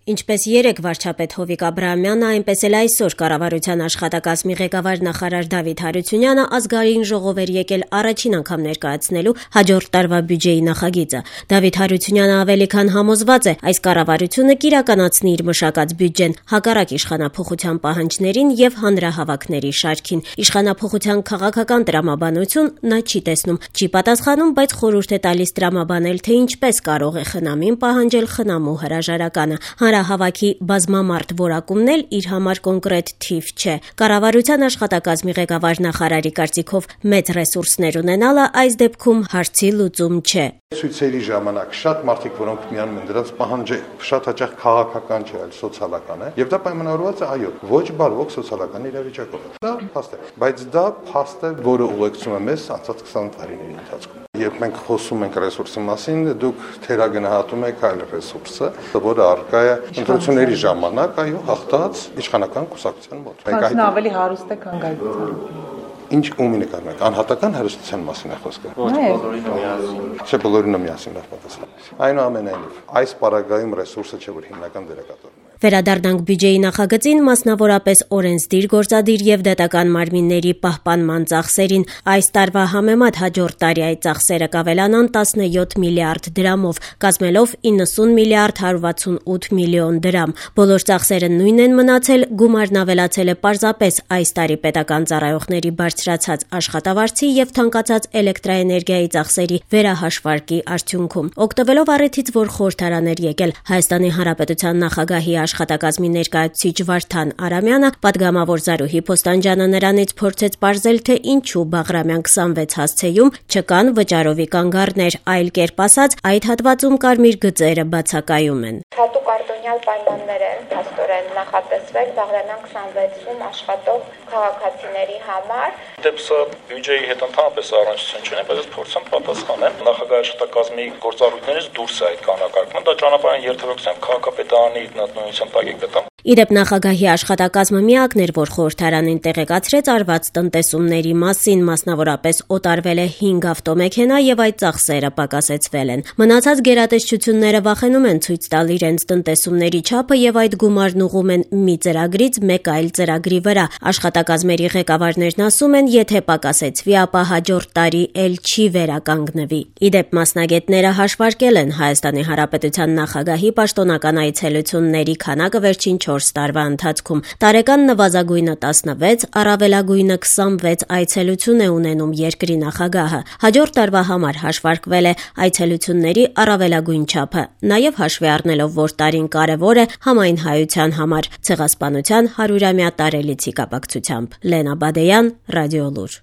Ինչպես երեկ վարչապետ Հովիկ Աբրահամյանը, այնպես էլ այսօր կառավարության աշխատակազմի ղեկավար նախարար Դավիթ Հարությունյանը ազգային ժողով էր եկել առաջին անգամ ներկայացնելու հաջորդ տարվա բյուջեի նախագիծը։ Դավիթ Հարությունյանը ավելի քան համոզված է, այս կառավարությունը կիրականացնի իր մշակած բյուջեն հակառակ իշխանափոխության պահանջներին եւ հանրահավաքների շարքին։ Իշխանափոխության քաղաքական տրամաբանություն նա չի տեսնում, չի պատասխանում, բայց խորհուրդ է տալիս տրամաբանել, թե ինչպես կարող է խնամին պահանջել խնամու հրաժարականը։ Հանրահավաքի բազմամարդ որակումն էլ իր համար կոնկրետ թիվ չէ։ Կառավարության աշխատակազմի ղեկավար նախարարի կարծիքով մեծ ռեսուրսներ ունենալը այս դեպքում հարցի լուծում չէ։ Ցույցերի ժամանակ շատ մարդիկ, որոնք միանում են դրանց պահանջը շատ հաճախ քաղաքական չէ, այլ սոցիալական է, եւ դա պայմանավորված է այո, ոչ բարվոք սոցիալական իրավիճակով։ Դա փաստ է, բայց դա փաստ է, որը ուղեկցում է մեզ անցած 20 տարիների ընթացքում։ Երբ մենք խոսում ենք ռեսուրսի մասին, դուք թերագնահատում եք այլ ռեսուրսը, որը առկա է ընտրությունների ժամանակ, այո, հաղթած իշխանական կուսակցության մոտ։ Մենք ավելի հարուստ է, քան Գայթան։ Ինչ ումի նկարում եք, անհատական հարստության մասին է խոսքը։ Չէ, բոլորին միասին պատասխան։ Այնուամենայնիվ, այս պարագայում ռեսուրսը չէ, որ հիմնական դերակատարում է։ Վերադառնանք բյուջեի նախագծին, մասնավորապես օրենսդիր, գործադիր եւ դատական մարմինների պահպանման ծախսերին։ Այս տարվա համեմատ հաջորդ տարի այդ ծախսերը կավելանան 17 միլիարդ դրամով, կազմելով 90 միլիարդ 168 միլիոն դրամ։ Բոլոր ծախսերը նույնն են մնացել, գումարն ավելացել է պարզապես այս տարի պետական ծառայողների բարձրացած աշխատավարձի եւ թանկացած էլեկտրաէներգիայի ծախսերի վերահաշվարկի արդյունքում։ Օգտվելով առիթից, որ խորհրդարան էր եկել Հայաստանի Հանրապետության նախագահի աշխատակազմի ներկայացուցիչ Վարդան Արամյանը, պատգամավոր Զարուհի Փոստանջյանը նրանից փորձեց պարզել, թե ինչու Բաղրամյան 26 հասցեում չկան վճարովի կանգառներ, այլ կերպ ասած, այդ հատվածում կարմիր գծերը բացակայում են։ Հատուկ արտոնյալ պայմաններ են փաստորեն նախատեսվել Բաղրամյան 26-ում աշխատող քաղաքացիների համար։ Դեպսը բյուջեի հետ ընդհանրապես առնչություն չունի, բայց փորձեմ պատասխանեմ։ Նախագահի աշխատակազմի գործառույթներից դուրս է այդ կանոնակարգումը, դա ճանապարհային երթևեկության քաղաքապետարանի նույնության տակ է գտնում։ Իդեպ նախագահի աշխատակազմը միակն էր, որ խորհրդարանին տեղեկացրեց արված տնտեսումների մասին, մասնավորապես օտարվել է 5 ավտոմեքենա եւ այդ ծախսերը պակասեցվել են։ Մնացած գերատեսչությունները վախենում են ցույց տալ իրենց տնտեսումների չափը եւ այդ գումարն ուղղում են մի ծրագրից մեկ այլ ծրագրի վրա։ Աշխատակազմերի ղեկավարներն ասում են, եթե պակասեցվի, ապա հաջորդ տարի էլ չի վերականգնվի։ Իդեպ մասնագետները հաշվարկել են Հայաստանի Հանրապետության նախագահի պաշտոնական այցելությունների քանակը վերջին 4 տարվա ընթացքում։ Տարեկան նվազագույնը 16, առավելագույնը 26 այցելություն է ունենում երկրի նախագահը։ Հաջորդ տարվա համար հաշվարկվել է այցելությունների առավելագույն չափը, նաև հաշվի առնելով, որ տարին կարևոր է համայն հայության համար, ցեղասպանության 100-ամյա տարելիցի կապակցությամբ։ Լենա Բադեյան, Ռադիոլուր։